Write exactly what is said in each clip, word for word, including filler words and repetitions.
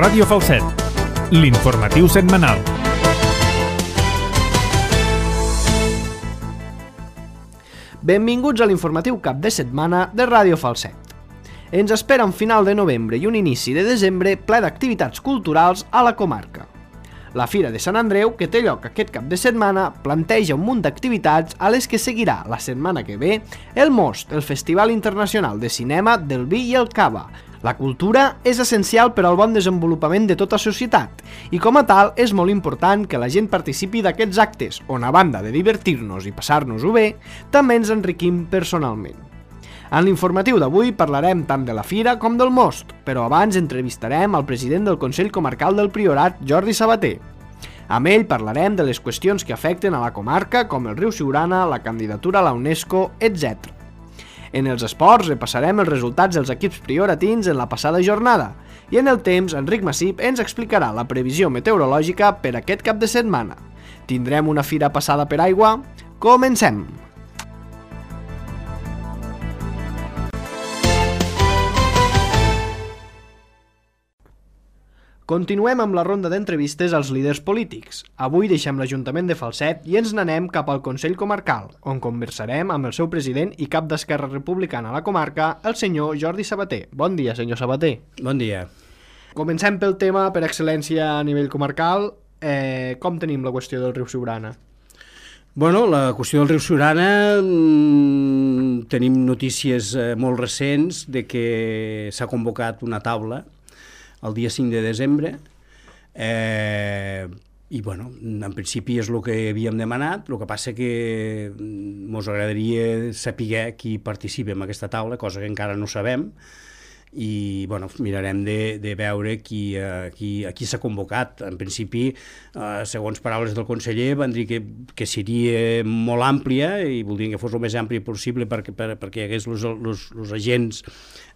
Ràdio Falset, l'informatiu setmanal. Benvinguts a l'informatiu cap de setmana de Ràdio Falset. Ens espera un final de novembre i un inici de desembre ple d'activitats culturals a la comarca. La Fira de Sant Andreu, que té lloc aquest cap de setmana, planteja un munt d'activitats a les que seguirà la setmana que ve el Most, el Festival Internacional de Cinema del Vi i el Cava. La cultura és essencial per al bon desenvolupament de tota societat i com a tal és molt important que la gent participi d'aquests actes on, a banda de divertir-nos i passar-nos-ho bé, també ens enriquim personalment. En l'informatiu d'avui parlarem tant de la Fira com del Most, però abans entrevistarem al president del Consell Comarcal del Priorat, Jordi Sabater. Amb ell parlarem de les qüestions que afecten a la comarca, com el riu Siurana, la candidatura a la UNESCO, etcètera. En els esports repassarem els resultats dels equips prioratins en la passada jornada i en el temps Enric Massip ens explicarà la previsió meteorològica per aquest cap de setmana. Tindrem una fira passada per aigua? Comencem! Continuem amb la ronda d'entrevistes als líders polítics. Avui deixem l'Ajuntament de Falset i ens n'anem cap al Consell Comarcal, on conversarem amb el seu president i cap d'Esquerra Republicana a la comarca, el senyor Jordi Sabater. Bon dia, senyor Sabater. Bon dia. Comencem pel tema per excel·lència a nivell comarcal. Eh, com tenim la qüestió del riu Siurana? Bueno, la qüestió del riu Siurana, mmm, tenim notícies eh, molt recents de que s'ha convocat una taula el dia cinc de desembre, eh, i bueno, en principi és el que havíem demanat, el que passa que ens agradaria saber qui participa en aquesta taula, cosa que encara no sabem, i bueno, mirarem de, de veure qui, eh, qui, a qui s'ha convocat. En principi, eh, segons paraules del conseller, van dir que, que seria molt àmplia i voldrien que fos el més àmplia possible perquè, per, perquè hi hagués els agents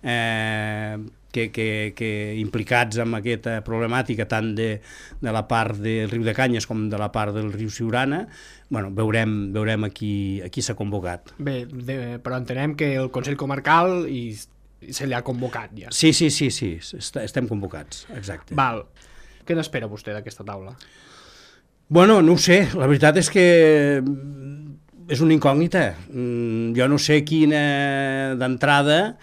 eh, que, que, que implicats en aquesta problemàtica tant de, de la part del riu de Canyes com de la part del riu Siurana. Bueno, veurem, veurem a qui, a qui s'ha convocat. Bé, de, però entenem que el Consell Comarcal i se li ha convocat ja. Sí, sí, sí, sí, estem convocats, exacte. Val. Què n'espera vostè d'aquesta taula? Bueno, no ho sé, la veritat és que és una incògnita. Jo no sé quina, d'entrada,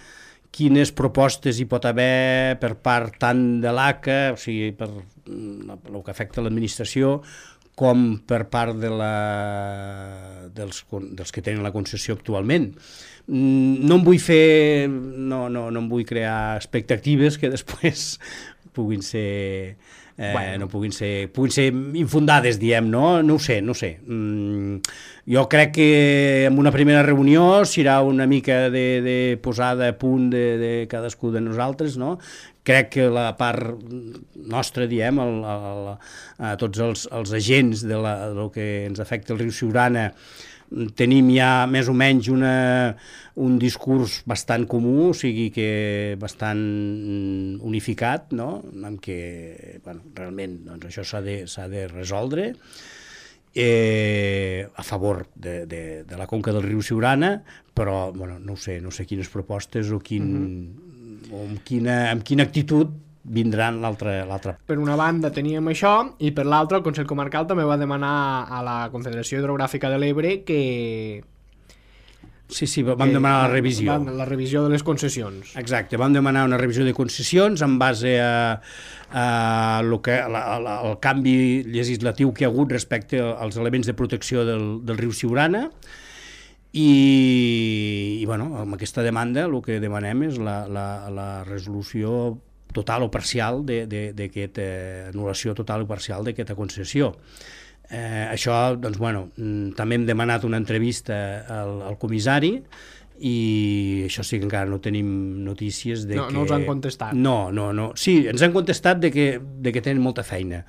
quines propostes hi pot haver per part tant de l'A C A, o sigui, per el que afecta l'administració, com per part de la, dels, dels que tenen la concessió actualment. No em vull fer, no, no, no em vull crear expectatives que després puguin ser, eh, bueno. no puguin ser, puguin ser infundades, diem, no? No ho sé, no ho sé. Mm, jo crec que en una primera reunió serà una mica de, de posada a punt de, de cadascú de nosaltres, no? Crec que la part nostra, diem, el, el, a tots els, els agents de la, del que ens afecta el riu Siurana, tenim ja més o menys una, un discurs bastant comú, o sigui que bastant unificat, no? En què bueno, realment doncs, això s'ha de, s'ha de resoldre eh, a favor de, de, de la conca del riu Siurana, però bueno, no sé, no sé quines propostes o, quin, mm-hmm. o amb, quina, amb quina actitud vindran l'altra. Per una banda teníem això i per l'altra el Consell Comarcal també va demanar a la Confederació Hidrogràfica de l'Ebre que... Sí, sí, vam que, demanar la revisió. La revisió de les concessions. Exacte, vam demanar una revisió de concessions en base a, a lo que, a la, a la, al canvi legislatiu que hi ha hagut respecte als elements de protecció del, del riu Siurana. I, i bueno, amb aquesta demanda el que demanem és la, la, la resolució total o parcial d'aquesta eh, anul·lació total o parcial d'aquesta concessió. Eh, això, doncs, bueno, també hem demanat una entrevista al, al comissari i això sí que encara no tenim notícies de no, que... No us han contestat? No, no, no. Sí, ens han contestat de que, de que tenen molta feina.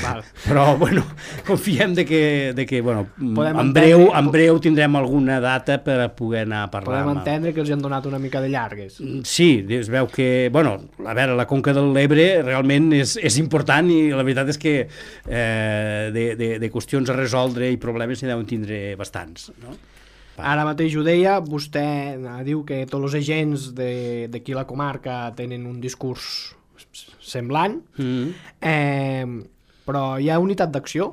Val. Però, bueno, confiem de que, de que bueno, Podem en breu, entendre... en breu tindrem alguna data per a poder anar a parlar. Podem entendre que els han donat una mica de llargues. Sí, es veu que, bueno, a veure, la conca de l'Ebre realment és, és important i la veritat és que eh, de, de, de qüestions a resoldre i problemes n'hi deuen tindre bastants, no? Ara mateix ho deia, vostè diu que tots els agents d'aquí a la comarca tenen un discurs semblant, Mm. eh, però hi ha unitat d'acció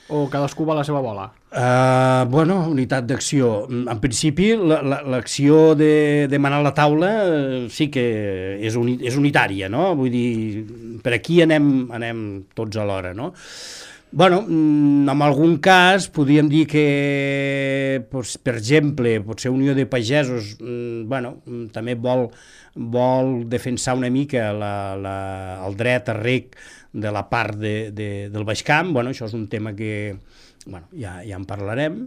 o cadascú va a la seva bola? Uh, bueno, unitat d'acció. En principi, l'acció de demanar la taula uh, sí que és, uni, és unitària, no? Vull dir, per aquí anem, anem tots alhora, no? Bueno, en algun cas podríem dir que, doncs, per exemple, potser Unió de Pagesos, bueno, també vol, vol defensar una mica la, la, el dret a reg de la part de, de, del Baix Camp. Bueno, això és un tema que, bueno, ja, ja en parlarem.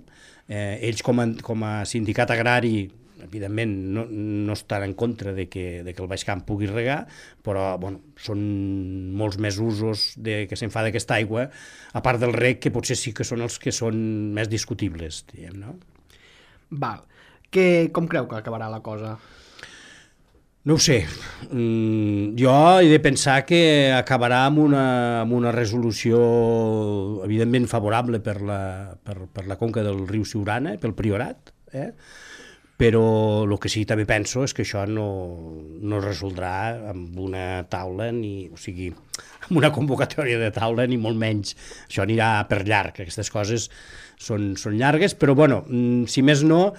Eh, ells com a, com a sindicat agrari, evidentment, no, no estan en contra de que, de que el Baix Camp pugui regar, però bueno, són molts més usos de, que se'n fa d'aquesta aigua, a part del reg, que potser sí que són els que són més discutibles, diguem, no? Val. Que, com creu que acabarà la cosa? No ho sé. Mm, jo he de pensar que acabarà amb una, amb una resolució evidentment favorable per la, per, per la conca del riu Siurana, pel Priorat, eh? Però el que sí també penso és que això no, no es resoldrà amb una taula, ni, o sigui, amb una convocatòria de taula, ni molt menys. Això anirà per llarg, aquestes coses són, són llargues, però bueno, si més no,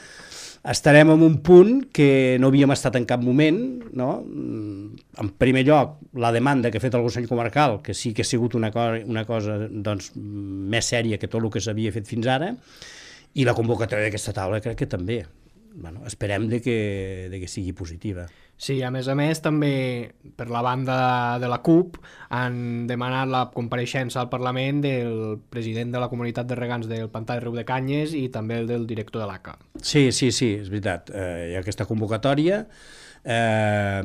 estarem en un punt que no havíem estat en cap moment, no? En primer lloc, la demanda que ha fet el Consell Comarcal, que sí que ha sigut una, co una cosa doncs, més sèria que tot el que s'havia fet fins ara, i la convocatòria d'aquesta taula crec que també. Bueno, esperem de que, de que sigui positiva. Sí, a més a més, també per la banda de la C U P han demanat la compareixença al Parlament del president de la comunitat de regants del Pantà de Riu de Canyes i també el del director de l'A C A. Sí, sí, sí, és veritat. Eh, hi ha aquesta convocatòria eh,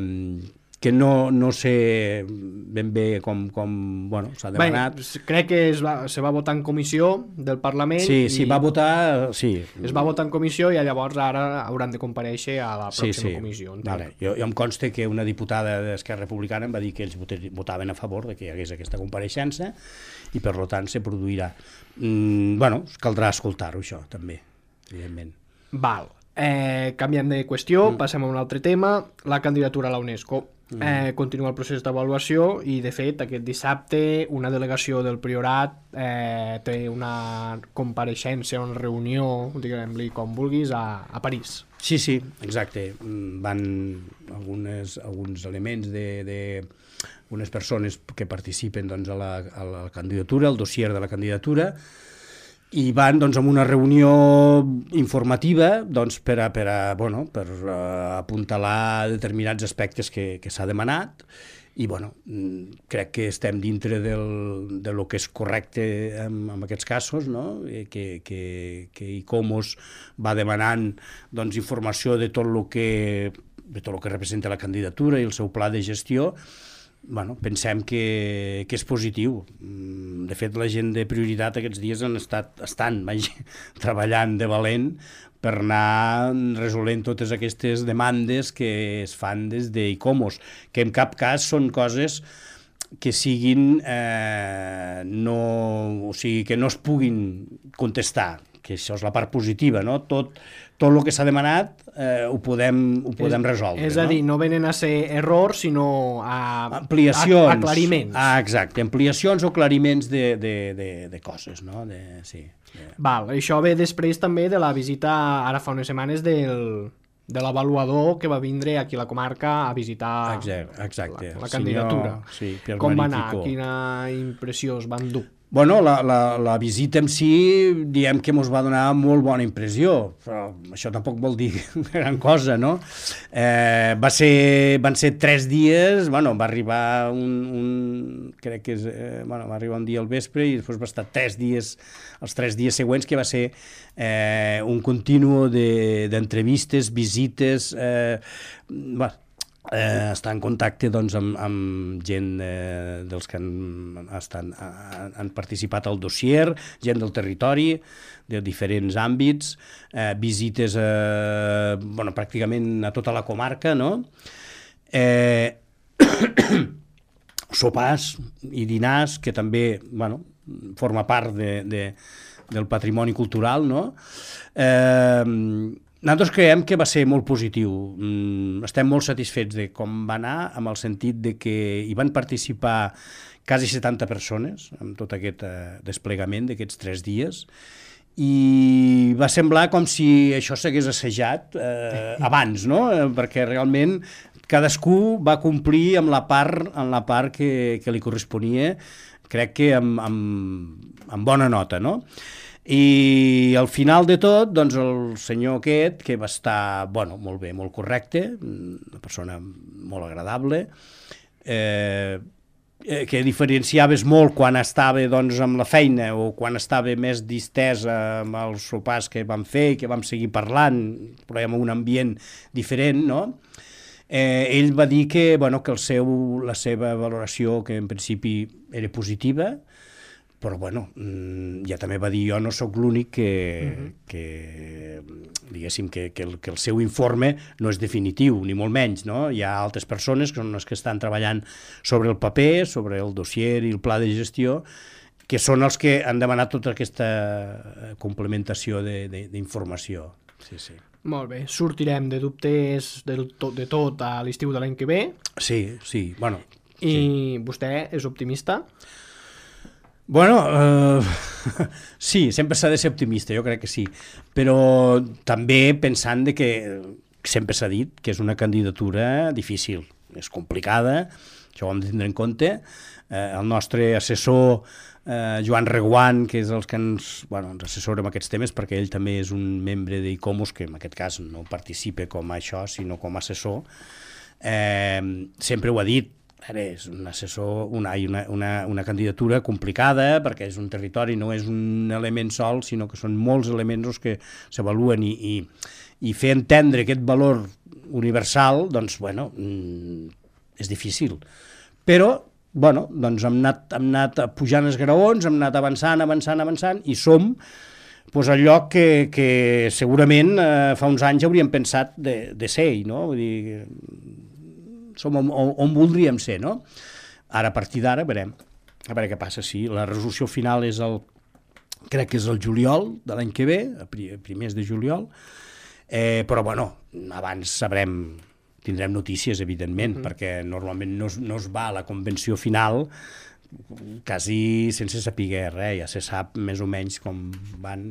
que no, no sé ben bé com, com bueno, s'ha demanat. Bé, crec que es va, se va votar en comissió del Parlament. Sí, sí, va votar, sí. Es va votar en comissió i llavors ara hauran de comparèixer a la pròxima sí, sí. comissió. Vale. Jo, jo em consta que una diputada d'Esquerra Republicana em va dir que ells votaven a favor de que hi hagués aquesta compareixença i per tant se produirà. Mm, bueno, caldrà escoltar-ho això també, evidentment. Val. Eh, canviant de qüestió, mm. passem a un altre tema, la candidatura a la UNESCO. Mm. Eh, continua el procés d'avaluació i, de fet, aquest dissabte una delegació del Priorat eh, té una compareixença, una reunió, diguem-li com vulguis, a, a París. Sí, sí, exacte. Van algunes, alguns elements de, de unes persones que participen doncs, a, la, a la candidatura, al dossier de la candidatura, i van doncs, amb una reunió informativa doncs, per, a, per, a, bueno, per a apuntalar determinats aspectes que, que s'ha demanat i bueno, crec que estem dintre del, de lo que és correcte en, en aquests casos, no? que, que, que ICOMOS va demanant doncs, informació de tot el que, de tot el que representa la candidatura i el seu pla de gestió. Bueno, pensem que, que és positiu. De fet, la gent de Prioritat aquests dies han estat, estan vaja, treballant de valent per anar resolent totes aquestes demandes que es fan des d'ICOMOS, que en cap cas són coses que siguin eh, no, o sigui, que no es puguin contestar, que això és la part positiva, no? Tot, tot el que s'ha demanat eh, ho podem, ho podem és, resoldre. És a dir, no venen a ser errors, sinó a, ampliacions, a aclariments. Ah, exacte, ampliacions o aclariments de, de, de, de coses, no? De, sí, de... Val, això ve després també de la visita, ara fa unes setmanes, del, de l'avaluador que va vindre aquí a la comarca a visitar exacte, exacte. la, la candidatura. Senyor, sí, Pierre Com va anar? Magnifico. Quina impressió es van dur? Bueno, la, la, la visita en si, diem que ens va donar molt bona impressió, però això tampoc vol dir gran cosa, no? Eh, va ser, van ser tres dies, bueno, va arribar un, un crec que és, eh, bueno, va arribar un dia al vespre i després va estar tres dies, els tres dies següents, que va ser eh, un continu d'entrevistes, de, visites, eh, bueno, Eh, estar en contacte doncs, amb, amb gent eh, dels que han, estan, han, han participat al dossier, gent del territori, de diferents àmbits, eh, visites a, bueno, pràcticament a tota la comarca, no? Eh, sopars i dinars, que també bueno, forma part de, de, del patrimoni cultural, no? Eh, Nosaltres creiem que va ser molt positiu. Estem molt satisfets de com va anar, amb el sentit de que hi van participar quasi setanta persones en tot aquest desplegament d'aquests tres dies, i va semblar com si això s'hagués assajat eh, abans, no? Perquè realment cadascú va complir amb la part, amb la part que, que li corresponia, crec que amb, amb, amb bona nota, no? I al final de tot, doncs el senyor aquest, que va estar, bueno, molt bé, molt correcte, una persona molt agradable, eh, que diferenciaves molt quan estava doncs, amb la feina o quan estava més distesa amb els sopars que vam fer i que vam seguir parlant, però en un ambient diferent, no? Eh, ell va dir que, bueno, que el seu, la seva valoració, que en principi era positiva, però bueno, ja també va dir, jo no sóc l'únic que, uh-huh. que diguéssim, que, que, el, que el seu informe no és definitiu, ni molt menys, no? Hi ha altres persones que són les que estan treballant sobre el paper, sobre el dossier i el pla de gestió, que són els que han demanat tota aquesta complementació d'informació. Sí, sí. Molt bé, sortirem de dubtes de tot, de tot a l'estiu de l'any que ve. Sí, sí, bueno. I sí. Vostè és optimista? Bueno, eh, sí, sempre s'ha de ser optimista, jo crec que sí, però també pensant de que sempre s'ha dit que és una candidatura difícil, és complicada, això ho hem de tindre en compte. Eh, el nostre assessor, eh, Joan Reguant, que és el que ens, bueno, ens assessora en aquests temes, perquè ell també és un membre d'ICOMOS, que en aquest cas no participa com a això, sinó com a assessor, eh, sempre ho ha dit. Ara és un assessor, una, una, una, una candidatura complicada, perquè és un territori, no és un element sol, sinó que són molts elements els que s'avaluen, i, i, i fer entendre aquest valor universal, doncs, bueno, és difícil. Però, bueno, doncs hem anat, hem anat pujant els graons, hem anat avançant, avançant, avançant, i som pues, al lloc que, que segurament eh, fa uns anys hauríem pensat de, de ser, no? Vull dir, som on, on, on voldríem ser, no? Ara, a partir d'ara, veurem, a veure què passa. Sí, la resolució final és el, crec que és el juliol de l'any que ve, a primers de juliol, eh, però, bueno, abans sabrem, tindrem notícies, evidentment, mm-hmm. perquè normalment no es, no es va a la convenció final quasi sense saber res, ja se sap més o menys com van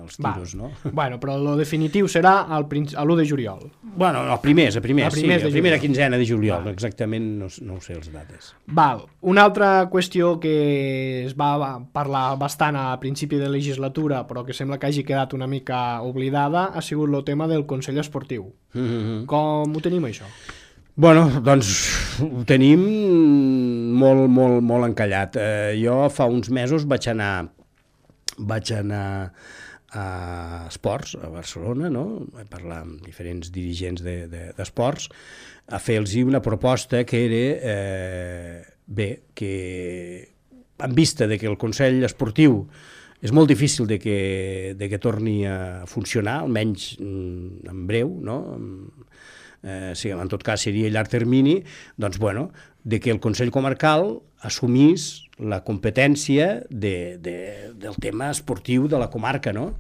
els tiros, va. No? Bueno, però el definitiu serà a l'u de juliol. Bueno, el primer, el primer, sí, la primera quinzena de juliol, exactament, no, no ho sé les dates. Val. Una altra qüestió que es va parlar bastant a principi de legislatura, però que sembla que hagi quedat una mica oblidada, ha sigut el tema del Consell Esportiu. Mm-hmm. Com ho tenim, això? Bueno, doncs ho tenim molt, molt, molt encallat. Eh, jo fa uns mesos vaig anar, vaig anar a Esports, a Barcelona, no? Vaig parlar amb diferents dirigents d'esports, de, de, a fer-los una proposta que era, eh, bé, que en vista de que el Consell Esportiu és molt difícil de que, de que torni a funcionar, almenys en breu, no? Eh, sí, en tot cas seria a llarg termini, doncs, bueno, de que el Consell Comarcal assumís la competència de, de, del tema esportiu de la comarca, no?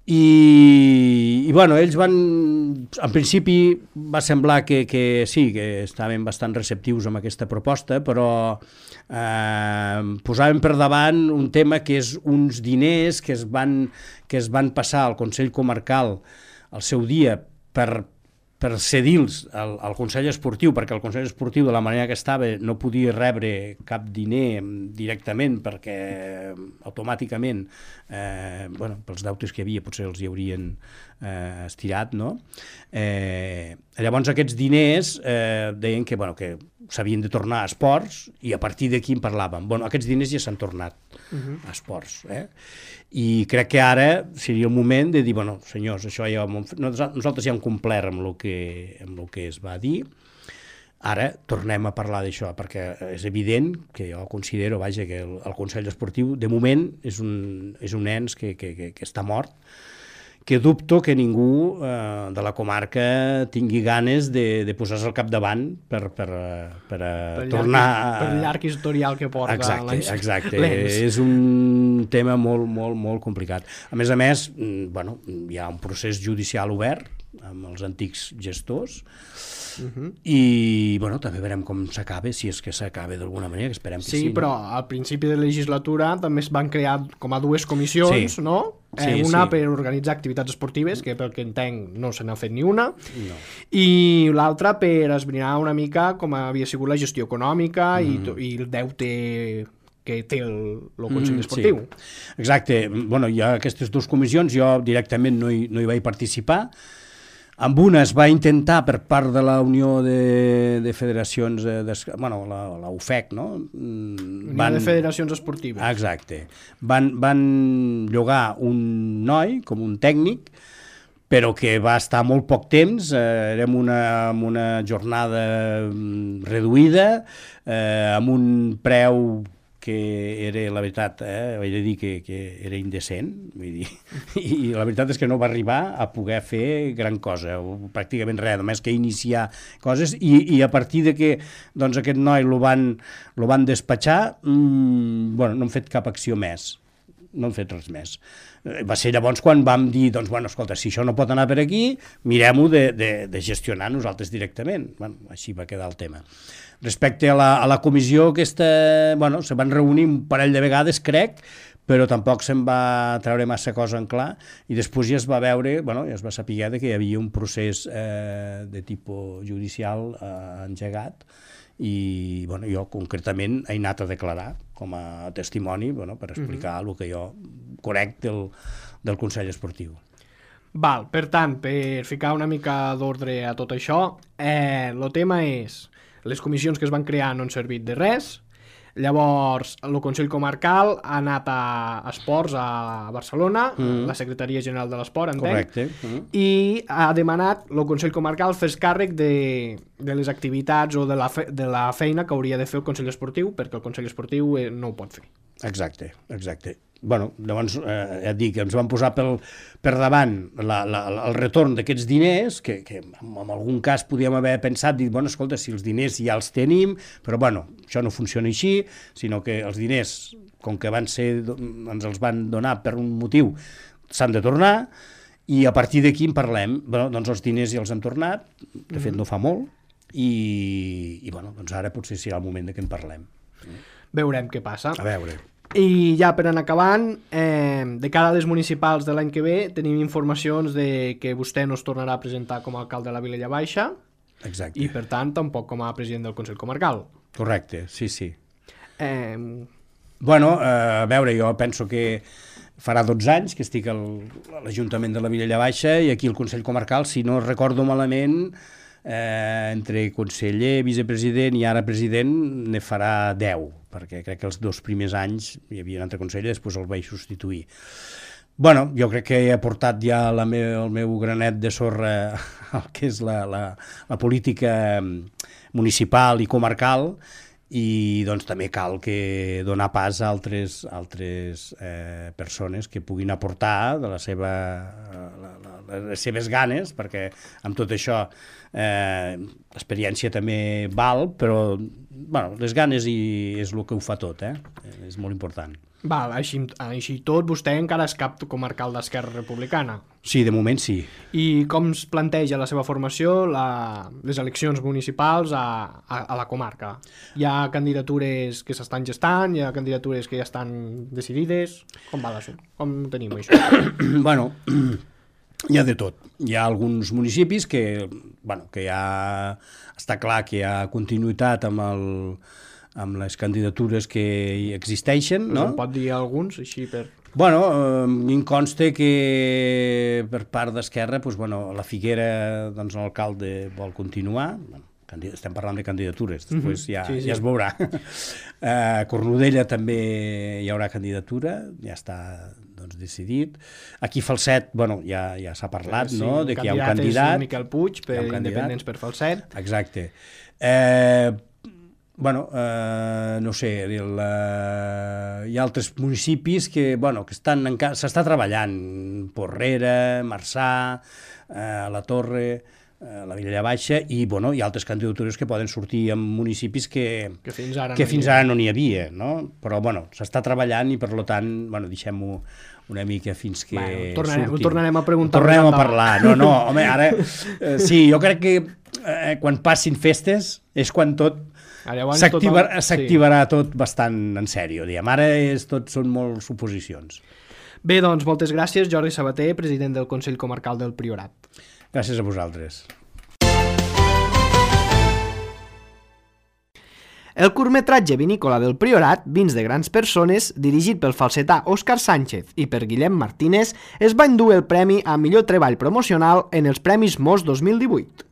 I, i bueno, ells van, en principi va semblar que, que sí, que estaven bastant receptius amb aquesta proposta, però eh, posaven per davant un tema que és uns diners que es van, que es van passar al Consell Comarcal al seu dia per per cedir-los al, al Consell Esportiu, perquè el Consell Esportiu, de la manera que estava, no podia rebre cap diner directament, perquè automàticament, eh, bueno, pels deutes que hi havia, potser els hi haurien eh, estirat, no? Eh, llavors aquests diners eh, deien que, bueno, que s'havien de tornar a esports, i a partir d'aquí en parlàvem. Bueno, aquests diners ja s'han tornat uh-huh. a esports, eh? I crec que ara seria el moment de dir, bueno, senyors, això ja nosaltres ja hem complert amb el que, amb el que es va dir, ara tornem a parlar d'això, perquè és evident que jo considero, vaja, que el, el Consell Esportiu, de moment, és un, és un ens que, que, que, que està mort, que dubto que ningú eh, de la comarca tingui ganes de, de posar-se al capdavant per, per, per, per tornar... Llarg, per llarg historial que porta. Exacte, exacte. És un tema molt, molt, molt complicat. A més a més, bueno, hi ha un procés judicial obert amb els antics gestors, Uh-huh. i bueno, també veurem com s'acaba, si és que s'acaba d'alguna manera, que esperem que sí. Sí, però no? Al principi de legislatura també es van crear com a dues comissions, sí. no? Eh, sí, una sí. per organitzar activitats esportives, que pel que entenc no se n'ha fet ni una, no. i l'altra per esbrinar una mica com havia sigut la gestió econòmica mm. i, i el deute que té el, el Consell mm, Esportiu. Sí. Exacte. Bueno, hi ha aquestes dues comissions, jo directament no hi, no hi vaig participar. Amb una es va intentar per part de la Unió de, de Federacions, de, bueno, la, la U F E C, no? Unió van, de Federacions Esportives. Exacte. Van, van llogar un noi com un tècnic, però que va estar molt poc temps, eh, érem una, amb una jornada reduïda, eh, amb un preu que era, la veritat, eh, vaig dir que, que era indecent, vull dir, i la veritat és que no va arribar a poder fer gran cosa, o pràcticament res, només que iniciar coses, i, i a partir de que doncs, aquest noi lo van, lo van despatxar, mmm, bueno, no han fet cap acció més, no han fet res més. Va ser llavors quan vam dir, doncs, bueno, escolta, si això no pot anar per aquí, mirem-ho de, de, de gestionar nosaltres directament. Bueno, així va quedar el tema. Respecte a la, a la comissió aquesta, bueno, se van reunir un parell de vegades, crec, però tampoc se'n va treure massa cosa en clar, i després ja es va veure, bueno, ja es va saber que hi havia un procés eh, de tipus judicial eh, engegat, i bueno, jo concretament he anat a declarar com a testimoni, bueno, per explicar mm-hmm. el que jo conec del, del Consell Esportiu. Val, per tant, per ficar una mica d'ordre a tot això, eh, el tema és les comissions que es van crear no han servit de res, llavors el Consell Comarcal ha anat a Esports a Barcelona, mm. la Secretaria General de l'Esport, entenc, correcte. Mm. i ha demanat el Consell Comarcal fer càrrec de, de les activitats o de la, fe, de la feina que hauria de fer el Consell Esportiu, perquè el Consell Esportiu eh, no ho pot fer. Exacte, exacte. Bueno, llavors, eh, ja et dic, ens van posar pel, per davant la, la, el retorn d'aquests diners, que, que en, en algun cas podíem haver pensat, dit, bueno, escolta, si els diners ja els tenim, però bueno, això no funciona així, sinó que els diners, com que van ser, ens els van donar per un motiu, s'han de tornar, i a partir d'aquí en parlem. Bueno, doncs els diners ja els han tornat, de fet no fa molt, i, i bueno, doncs ara potser serà el moment de que en parlem. Veurem què passa. A veure. I ja per anar acabant, eh, de cara a les municipals de l'any que ve tenim informacions de que vostè no es tornarà a presentar com a alcalde de la Vilella Baixa. Exacte. I per tant tampoc com a president del Consell Comarcal. Correcte, sí, sí. Eh... Bueno, eh, a veure, jo penso que farà dotze anys que estic al, a l'Ajuntament de la Vilella Baixa i aquí al Consell Comarcal, si no recordo malament, eh, entre conseller, vicepresident i ara president ne farà deu, perquè crec que els dos primers anys hi havia un altre conseller, després el vaig substituir. Bueno, jo crec que he aportat ja la me, el meu granet de sorra al que és la, la, la política municipal i comarcal, i doncs també cal que donar pas a altres, altres eh, persones que puguin aportar de la seva, la, la, les seves ganes, perquè amb tot això eh, l'experiència també val, però bueno, les ganes i és el que ho fa tot, eh? És molt important. Val, així, així tot, vostè encara és cap comarcal d'Esquerra Republicana. Sí, de moment sí. I com es planteja la seva formació, la, les eleccions municipals a, a, a la comarca? Hi ha candidatures que s'estan gestant, hi ha candidatures que ja estan decidides? Com va l'assum? Com tenim això? Bueno, hi ha de tot. Hi ha alguns municipis que, bueno, que ja està clar que hi ha continuïtat amb el... amb les candidatures que existeixen, no? Em pot dir alguns, així per... Bueno, eh, em consta que per part d'Esquerra, doncs, bueno, la Figuera, doncs, l'alcalde vol continuar, bueno, estem parlant de candidatures, després ja, sí, sí. ja es veurà. A Cornudella també hi haurà candidatura, ja està doncs, decidit. Aquí Falset, bueno, ja, ja s'ha parlat, sí, no?, de que hi ha un candidat. És Miquel Puig, per Independents per Falset. Exacte. Eh, bueno, eh, no sé, el, eh, hi ha altres municipis que, bueno, que estan encara, s'està treballant, Porrera, Marçà, eh, la Torre, eh, la Vilella Baixa, i, bueno, hi ha altres candidatures que poden sortir en municipis que, que fins ara que no, fins hi ara no n'hi havia, no? Però, bueno, s'està treballant i, per tant, bueno, deixem-ho una mica fins que bueno, tornarem, surti. Ho tornarem a preguntar. Tornarem a parlar. No, no, home, ara... Eh, sí, jo crec que eh, quan passin festes és quan tot s'activarà sí. tot bastant en sèrio, diguem. Ara és, tot són molt suposicions. Bé, doncs, moltes gràcies, Jordi Sabater, president del Consell Comarcal del Priorat. Gràcies a vosaltres. El curtmetratge vinícola del Priorat, Vins de grans persones, dirigit pel falsetà Òscar Sánchez i per Guillem Martínez, es va endur el premi a millor treball promocional en els Premis Mos dos mil divuit.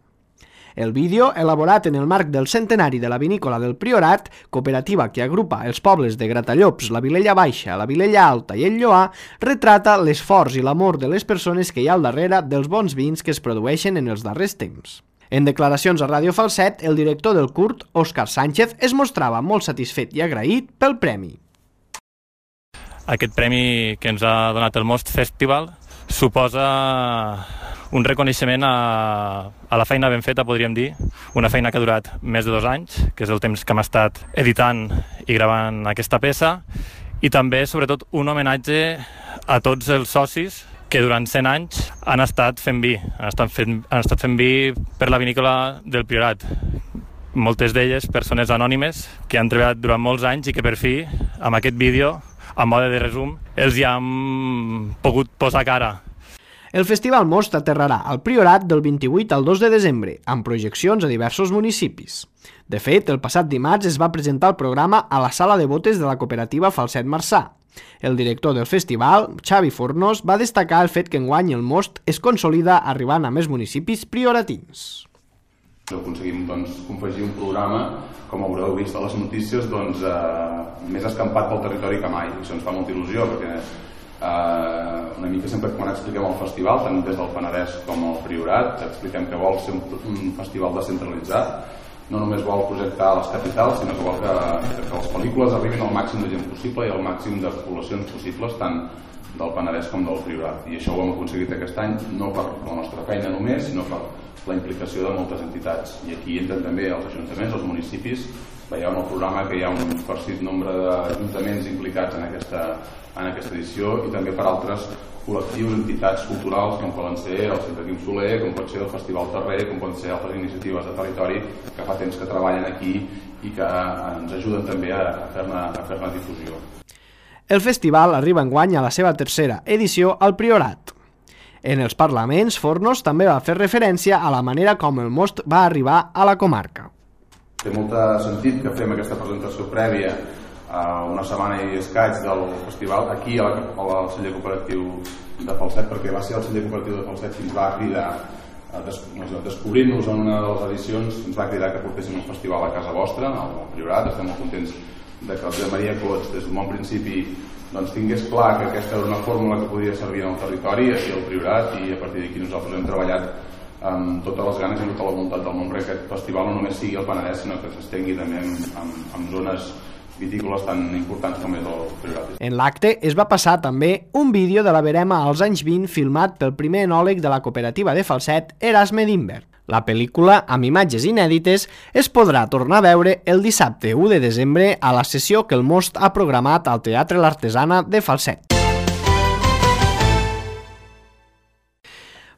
El vídeo, elaborat en el marc del centenari de la vinícola del Priorat, cooperativa que agrupa els pobles de Gratallops, la Vilella Baixa, la Vilella Alta i el Lloar, retrata l'esforç i l'amor de les persones que hi ha al darrere dels bons vins que es produeixen en els darrers temps. En declaracions a Ràdio Falset, el director del curt, Òscar Sánchez, es mostrava molt satisfet i agraït pel premi. Aquest premi que ens ha donat el Most Festival suposa un reconeixement a, a la feina ben feta, podríem dir, una feina que ha durat més de dos anys, que és el temps que hem estat editant i gravant aquesta peça, i també, sobretot, un homenatge a tots els socis que durant cent anys han estat fent vi, han estat fent, han estat fent vi per la vinícola del Priorat. Moltes d'elles persones anònimes que han treballat durant molts anys i que per fi, amb aquest vídeo, a mode de resum, els hi han pogut posar cara. El Festival Most aterrarà al Priorat del vint-i-vuit al dos de desembre, amb projeccions a diversos municipis. De fet, el passat dimarts es va presentar el programa a la sala de botes de la cooperativa Falset Marçà. El director del festival, Xavi Fornós, va destacar el fet que enguany el Most es consolida arribant a més municipis prioratins. Aconseguim doncs, confegir un programa, com haureu vist a les notícies, doncs, eh, més escampat pel territori que mai. Això ens fa molta il·lusió, perquè eh, una mica sempre quan expliquem el festival, tant des del Penedès com el Priorat, expliquem que vol ser un, un festival descentralitzat, no només vol projectar a les capitals, sinó que vol que, que les pel·lícules arribin al màxim de gent possible i al màxim de poblacions possibles, tant del Penedès com del Priorat. I això ho hem aconseguit aquest any, no per la nostra feina només, sinó per la implicació de moltes entitats. I aquí entren també els ajuntaments, els municipis. Veieu en el programa que hi ha un farcit nombre d'ajuntaments implicats en aquesta, en aquesta edició i també per altres col·lectius, entitats culturals com poden ser el Centre Quim Soler, com pot ser el Festival Terrer, com poden ser altres iniciatives de territori que fa temps que treballen aquí i que ens ajuden també a fer-ne a fer-ne difusió. El festival arriba enguany a la seva tercera edició al Priorat. En els parlaments, Fornós també va fer referència a la manera com el Most va arribar a la comarca. Té molt sentit que fem aquesta presentació prèvia a una setmana i escaig del festival aquí a la, al celler cooperatiu de Falset, perquè va ser el celler cooperatiu de Falset qui ens va cridar, des, descobrint-nos en una de les edicions, ens va cridar que portéssim un festival a casa vostra, al Priorat. Estem molt contents de que el Josep Maria Cots des d'un bon principi doncs, tingués clar que aquesta era una fórmula que podia servir en el territori, aquí al Priorat, i a partir d'aquí nosaltres hem treballat amb totes les ganes i tota la voluntat del món perquè aquest festival no només sigui al Penedès, sinó que s'estengui també en, en, en zones vitícoles tan importants com és el Priorat. En l'acte es va passar també un vídeo de la verema als anys vint filmat pel primer enòleg de la cooperativa de Falset, Erasme Dimber. La pel·lícula, amb imatges inèdites, es podrà tornar a veure el dissabte u de desembre a la sessió que el Most ha programat al Teatre L'Artesana de Falset.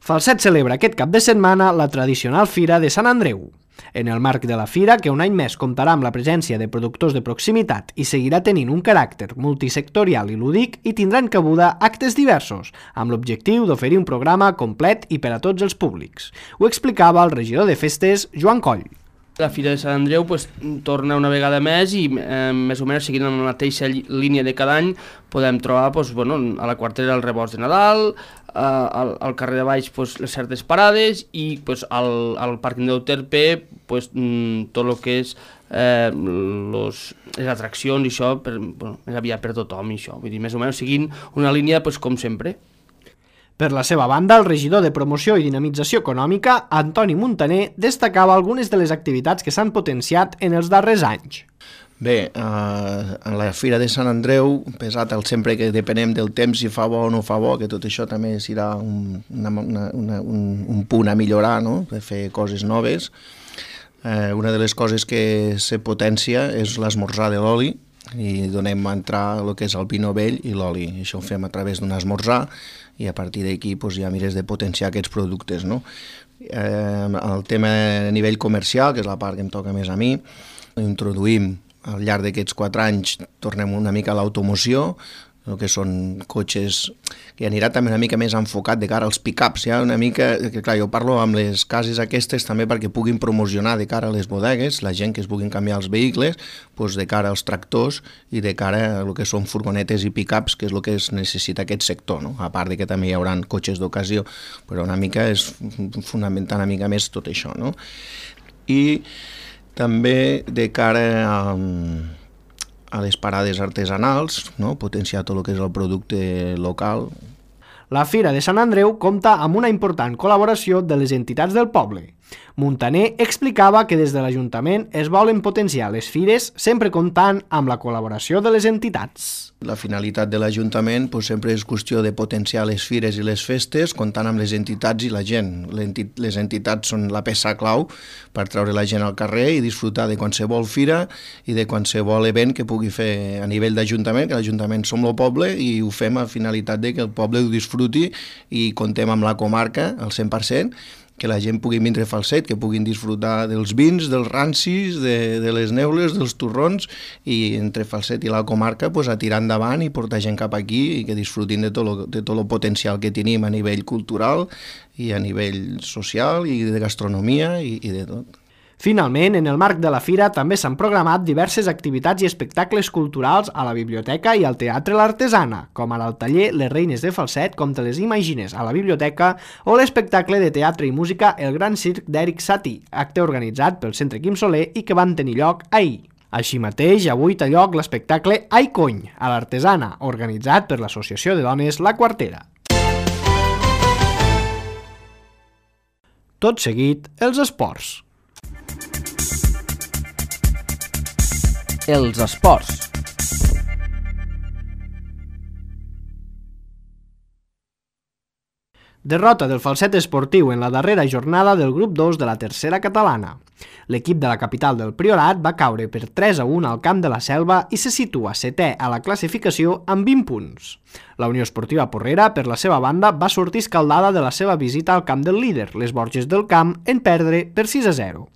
Falset celebra aquest cap de setmana la tradicional Fira de Sant Andreu. En el marc de la Fira, que un any més comptarà amb la presència de productors de proximitat i seguirà tenint un caràcter multisectorial i lúdic, hi tindran cabuda actes diversos, amb l'objectiu d'oferir un programa complet i per a tots els públics. Ho explicava el regidor de festes, Joan Coll. La Fira de Sant Andreu pues, torna una vegada més i eh, més o menys seguint la mateixa línia de cada any podem trobar pues, bueno, a la quartera el rebost de Nadal, eh, al, al carrer de Baix pues, les certes parades i pues, al, al pàrquing d'Euterpe pues, mm, tot el que és eh, los, les atraccions i això per, bueno, més aviat per tothom i això, vull dir, més o menys seguint una línia pues, com sempre. Per la seva banda, el regidor de Promoció i Dinamització Econòmica, Antoni Muntaner, destacava algunes de les activitats que s'han potenciat en els darrers anys. Bé, eh, a la Fira de Sant Andreu, pesat el sempre que depenem del temps si fa bo o no fa bo, que tot això també serà un, una, una, una, un, un punt a millorar, no?, per fer coses noves. Eh, una de les coses que se potencia és l'esmorzar de l'oli, i donem a entrar el que és el vino vell i l'oli. Això ho fem a través d'un esmorzar i a partir d'aquí doncs, ja mires de potenciar aquests productes, no? Eh, el tema a nivell comercial, que és la part que em toca més a mi, introduïm al llarg d'aquests quatre anys, tornem una mica a l'automoció, el que són cotxes que anirà també una mica més enfocat de cara als pick-ups, ja una mica, que clar, jo parlo amb les cases aquestes també perquè puguin promocionar de cara a les bodegues, la gent que es puguin canviar els vehicles, doncs de cara als tractors i de cara a el que són furgonetes i pick-ups, que és el que es necessita aquest sector, no? A part de que també hi haurà cotxes d'ocasió, però una mica és fonamentar una mica més tot això, no? I també de cara a... a les parades artesanals, no? Potenciar tot el que és el producte local. La Fira de Sant Andreu compta amb una important col·laboració de les entitats del poble. Muntaner explicava que des de l'Ajuntament es volen potenciar les fires sempre comptant amb la col·laboració de les entitats. La finalitat de l'Ajuntament doncs, sempre és qüestió de potenciar les fires i les festes comptant amb les entitats i la gent. Les entitats són la peça clau per treure la gent al carrer i disfrutar de qualsevol fira i de qualsevol event que pugui fer a nivell d'Ajuntament, que l'Ajuntament som el poble i ho fem a finalitat de que el poble ho disfruti i contem amb la comarca al cent per cent, que la gent pugui vindre a Falset, que puguin disfrutar dels vins, dels rancis, de, de les neules, dels torrons, i entre Falset i la comarca pues, a tirar endavant i portar gent cap aquí i que disfrutin de tot, lo, de tot el potencial que tenim a nivell cultural i a nivell social i de gastronomia i, i de tot. Finalment, en el marc de la fira també s'han programat diverses activitats i espectacles culturals a la biblioteca i al Teatre l'Artesana, com ara el taller Les Reines de Falset, com te les imagines a la biblioteca, o l'espectacle de teatre i música El Gran Circ d'Eric Satie, acte organitzat pel Centre Quim Soler i que van tenir lloc ahir. Així mateix, avui té lloc l'espectacle Ai Cony, a l'Artesana, organitzat per l'Associació de Dones La Quartera. Tot seguit, els esports. Els esports. Derrota del Falset Esportiu en la darrera jornada del grup dos de la tercera catalana. L'equip de la capital del Priorat va caure per tres a un al camp de la Selva i se situa setè a la classificació amb vint punts. La Unió Esportiva Porrera, per la seva banda, va sortir escaldada de la seva visita al camp del líder, les Borges del Camp, en perdre per sis a zero.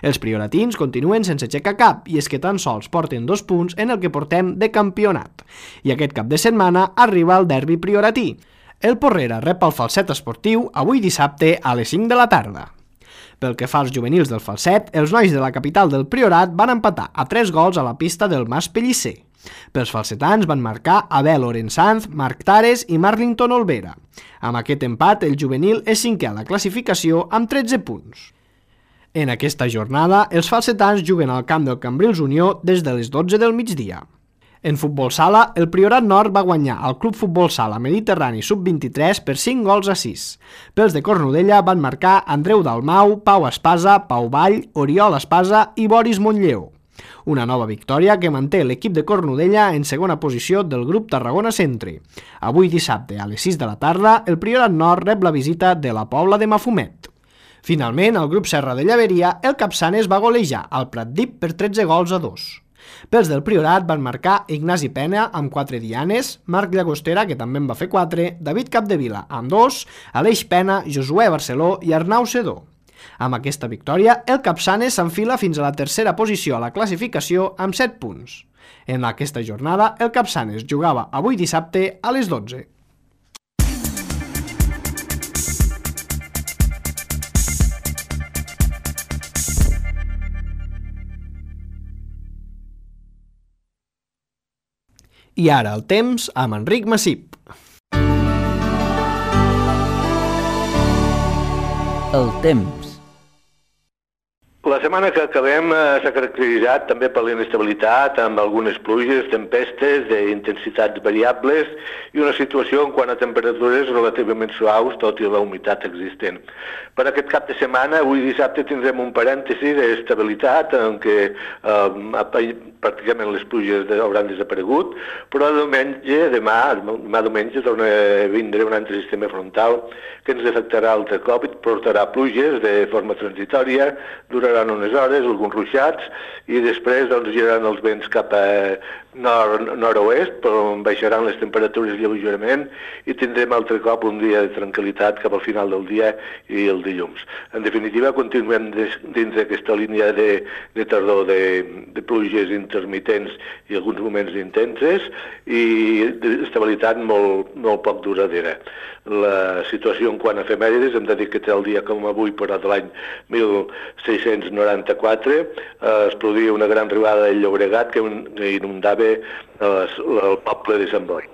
Els prioratins continuen sense aixecar cap i és que tan sols porten dos punts en el que portem de campionat. I aquest cap de setmana arriba el derbi prioratí. El Porrera rep el Falset Esportiu avui dissabte a les cinc de la tarda. Pel que fa als juvenils del Falset, els nois de la capital del Priorat van empatar a tres gols a la pista del Mas Pellicer. Pels falsetans van marcar Abel Orensanz, Marc Tares i Marlington Olvera. Amb aquest empat, el juvenil és cinquè a la classificació amb tretze punts. En aquesta jornada, els falsetans juguen al camp del Cambrils Unió des de les dotze del migdia. En futbol sala, el Priorat Nord va guanyar al Club Futbol Sala Mediterrani sub vint-i-tres per cinc gols a sis. Pels de Cornudella van marcar Andreu Dalmau, Pau Espasa, Pau Vall, Oriol Espasa i Boris Montlleó. Una nova victòria que manté l'equip de Cornudella en segona posició del grup Tarragona Centre. Avui dissabte a les sis de la tarda, el Priorat Nord rep la visita de la Pobla de Mafumet. Finalment, el grup Serra de Llaveria, el Capçanes va golejar al Pratdip per tretze gols a dos. Pels del Priorat van marcar Ignasi Pena amb quatre dianes, Marc Llagostera, que també en va fer quatre, David Capdevila amb dos, Aleix Pena, Josué Barceló i Arnau Sedó. Amb aquesta victòria, el Capçanes s'enfila fins a la tercera posició a la classificació amb set punts. En aquesta jornada, el Capçanes jugava avui dissabte a les dotze. I ara el temps amb Enric Massip. El temps. La setmana que acabem eh, s'ha caracteritzat també per la inestabilitat, amb algunes pluges, tempestes d'intensitats variables i una situació en quant a temperatures relativament suaus, tot i la humitat existent. Per aquest cap de setmana, avui dissabte, tindrem un parèntesi d'estabilitat en què eh, pràcticament les pluges hauran desaparegut, però diumenge, demà, demà diumenge, torna a vindre un altre sistema frontal que ens afectarà altre cop i portarà pluges de forma transitòria, duraran unes hores, alguns ruixats, i després doncs, giraran els vents cap a nord, nord-oest, però baixaran les temperatures lleugerament i tindrem altre cop un dia de tranquil·litat cap al final del dia i el dilluns. En definitiva, continuem dins d'aquesta línia de, de tardor de, de pluges intermitents i alguns moments intenses i d'estabilitat molt, molt poc duradera. La situació en quant a efemèrides, hem de dir que té el dia com avui, però de l'any mil sis-cents noranta-quatre, eh, es produïa una gran riuada del Llobregat que inundava eh, el poble de Sant Boi.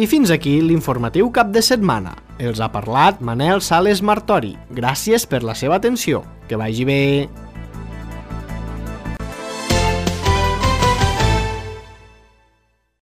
I fins aquí l'informatiu cap de setmana. Els ha parlat Manel Sales Martori. Gràcies per la seva atenció. Que vagi bé.